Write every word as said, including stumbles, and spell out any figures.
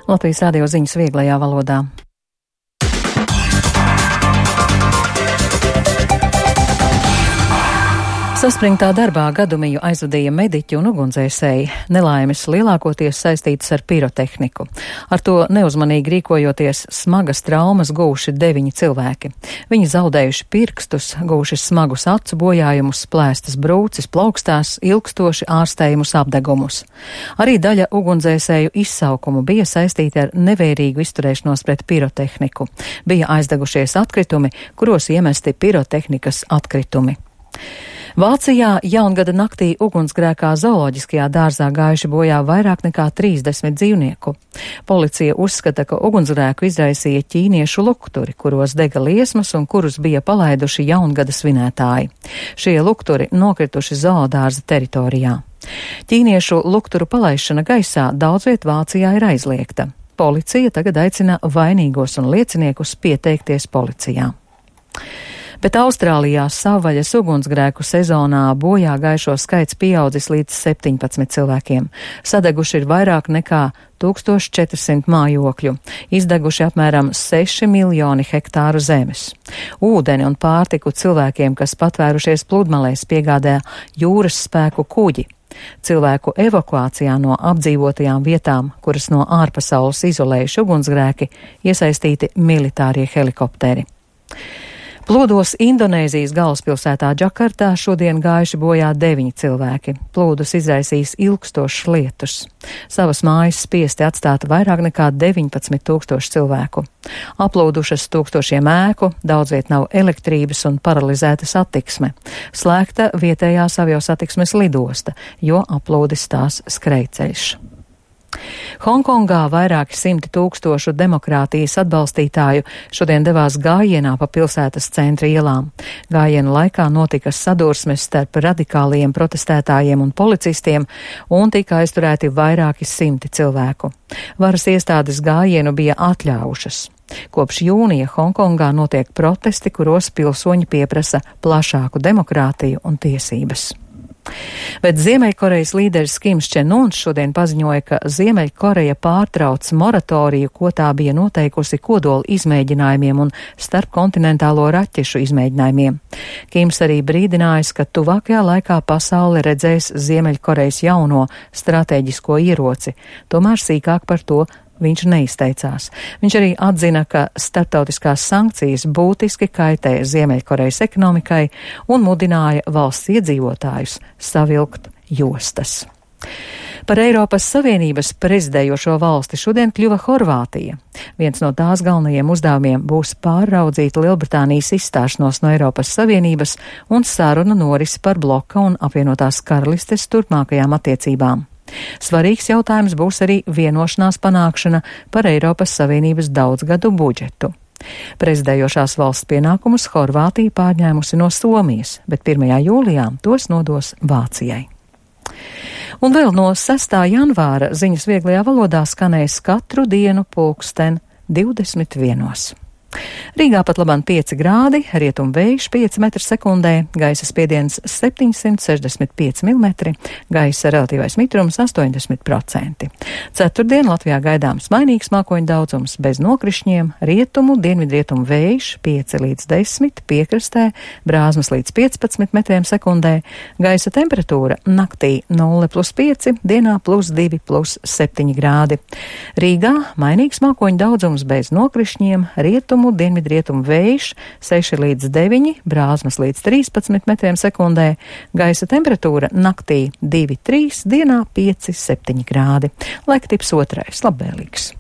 Latvijas radio ziņas vieglajā valodā. Saspringtā darbā gadumiju aizvadīja mediķi un ugunsdzēsēji. Nelaimes lielākoties saistītas ar pirotehniku. Ar to neuzmanīgi rīkojoties smagas traumas gūši deviņi cilvēki. Viņi zaudējuši pirkstus, gūši smagus acu bojājumus, plēstas brūces, plaukstās, ilgstoši ārstējumus apdegumus. Arī daļa ugunsdzēsēju izsaukumu bija saistīta ar nevērīgu izturēšanos pret pirotehniku. Bija aizdegušies atkritumi, kuros iemesti pirotehnikas atkritumi. Vācijā jaungada naktī ugunsgrēkā zooloģiskajā dārzā gājuši bojā vairāk nekā trīsdesmit dzīvnieku. Policija uzskata, ka ugunsgrēku izraisīja ķīniešu lukturi, kuros dega liesmas un kurus bija palaiduši jaungada svinētāji. Šie lukturi nokrituši zoodārza teritorijā. Ķīniešu lukturu palaišana gaisā daudzviet Vācijā ir aizliegta. Policija tagad aicina vainīgos un lieciniekus pieteikties policijā. Bet Austrālijā savvaļas ugunsgrēku sezonā bojā gājušo skaits pieaudzis līdz septiņpadsmit cilvēkiem. Sadeguši ir vairāk nekā tūkstoš četrsimt mājokļu, izdeguši apmēram seši miljoni hektāru zemes. Ūdeni un pārtiku cilvēkiem, kas patvērušies pludmalēs, piegādāja jūras spēku kuģi. Cilvēku evakuācijā no apdzīvotajām vietām, kuras no ārpasaules izolējuši ugunsgrēki, iesaistīti militārie helikopteri. Plūdos Indonēzijas galvaspilsētā Džakartā šodien gājuši bojā deviņi cilvēki. Plūdus izraisījis ilgstošs lietus. Savas mājas spiesti atstāt vairāk nekā deviņpadsmit tūkstoši cilvēku. Aplūdušas tūkstošiem ēku, daudzviet nav elektrības un paralizēta satiksme. Slēgta vietējās aviosatiksmes lidosta, jo aplūdis tās skrejceļš. Hongkongā vairāki simti tūkstošu demokrātijas atbalstītāju šodien devās gājienā pa pilsētas centra ielām. Gājiena laikā notika sadursmes starp radikāliem protestētājiem un policistiem un tika aizturēti vairāki simti cilvēku. Varas iestādes gājienu bija atļaujušas. Kopš jūnija Hongkongā notiek protesti, kuros pilsoņi pieprasa plašāku demokrātiju un tiesības. Bet Ziemeļkorejas līderis Kims Čen Uns šodien paziņoja, ka Ziemeļkoreja pārtrauc moratoriju, ko tā bija noteikusi kodola izmēģinājumiem un starpkontinentālo raķešu izmēģinājumiem. Kims arī brīdinājis, ka tuvākajā laikā pasaule redzēs Ziemeļkorejas jauno stratēģisko ieroci, tomēr sīkāk par to viņš neizteicās. Viņš arī atzina, ka starptautiskās sankcijas būtiski kaitē Ziemeļkorejas ekonomikai un mudināja valsts iedzīvotājus savilkt jostas. Par Eiropas Savienības prezidējošo valsti šodien kļuva Horvātija. Viens no tās galvenajiem uzdevumiem būs pārraudzīt Lielbritānijas izstāšanos no Eiropas Savienības un sarunu norisi par bloka un apvienotās karalistes turpmākajām attiecībām. Svarīgs jautājums būs arī vienošanās panākšana par Eiropas Savienības daudzgadu budžetu. Prezidējošās valsts pienākumus Horvātija pārņēmusi no Somijas, bet pirmajā jūlijā tos nodos Vācijai. Un vēl no sestā janvāra ziņas vieglajā valodā skanēs katru dienu pulksten divdesmit vienos. Rīgā pat labāk pieci grādi, rietumu vējš pieci metri sekundē, gaisa spiediens septiņsimt sešdesmit pieci milimetri, gaisa relatīvais mitrums astoņdesmit procenti. Ceturtdien Latvijā gaidāms mainīgs mākoņu daudzums bez nokrišņiem, rietumu, dienvidrietumu vējš pieci līdz desmit, piekrastē brāzmas līdz piecpadsmit metriem sekundē, gaisa temperatūra naktī nulle plus pieci, dienā plus divi plus septiņi grādi. Rīgā mainīgs mākoņu daudzums bez nokrišņiem, rietumu, dienvidrietumu vējš seši līdz deviņi, brāzmas līdz trīspadsmit metriem sekundē, gaisa temperatūra naktī divi trīs, dienā pieci septiņi grādi. Laika tips otrais, labvēlīgs.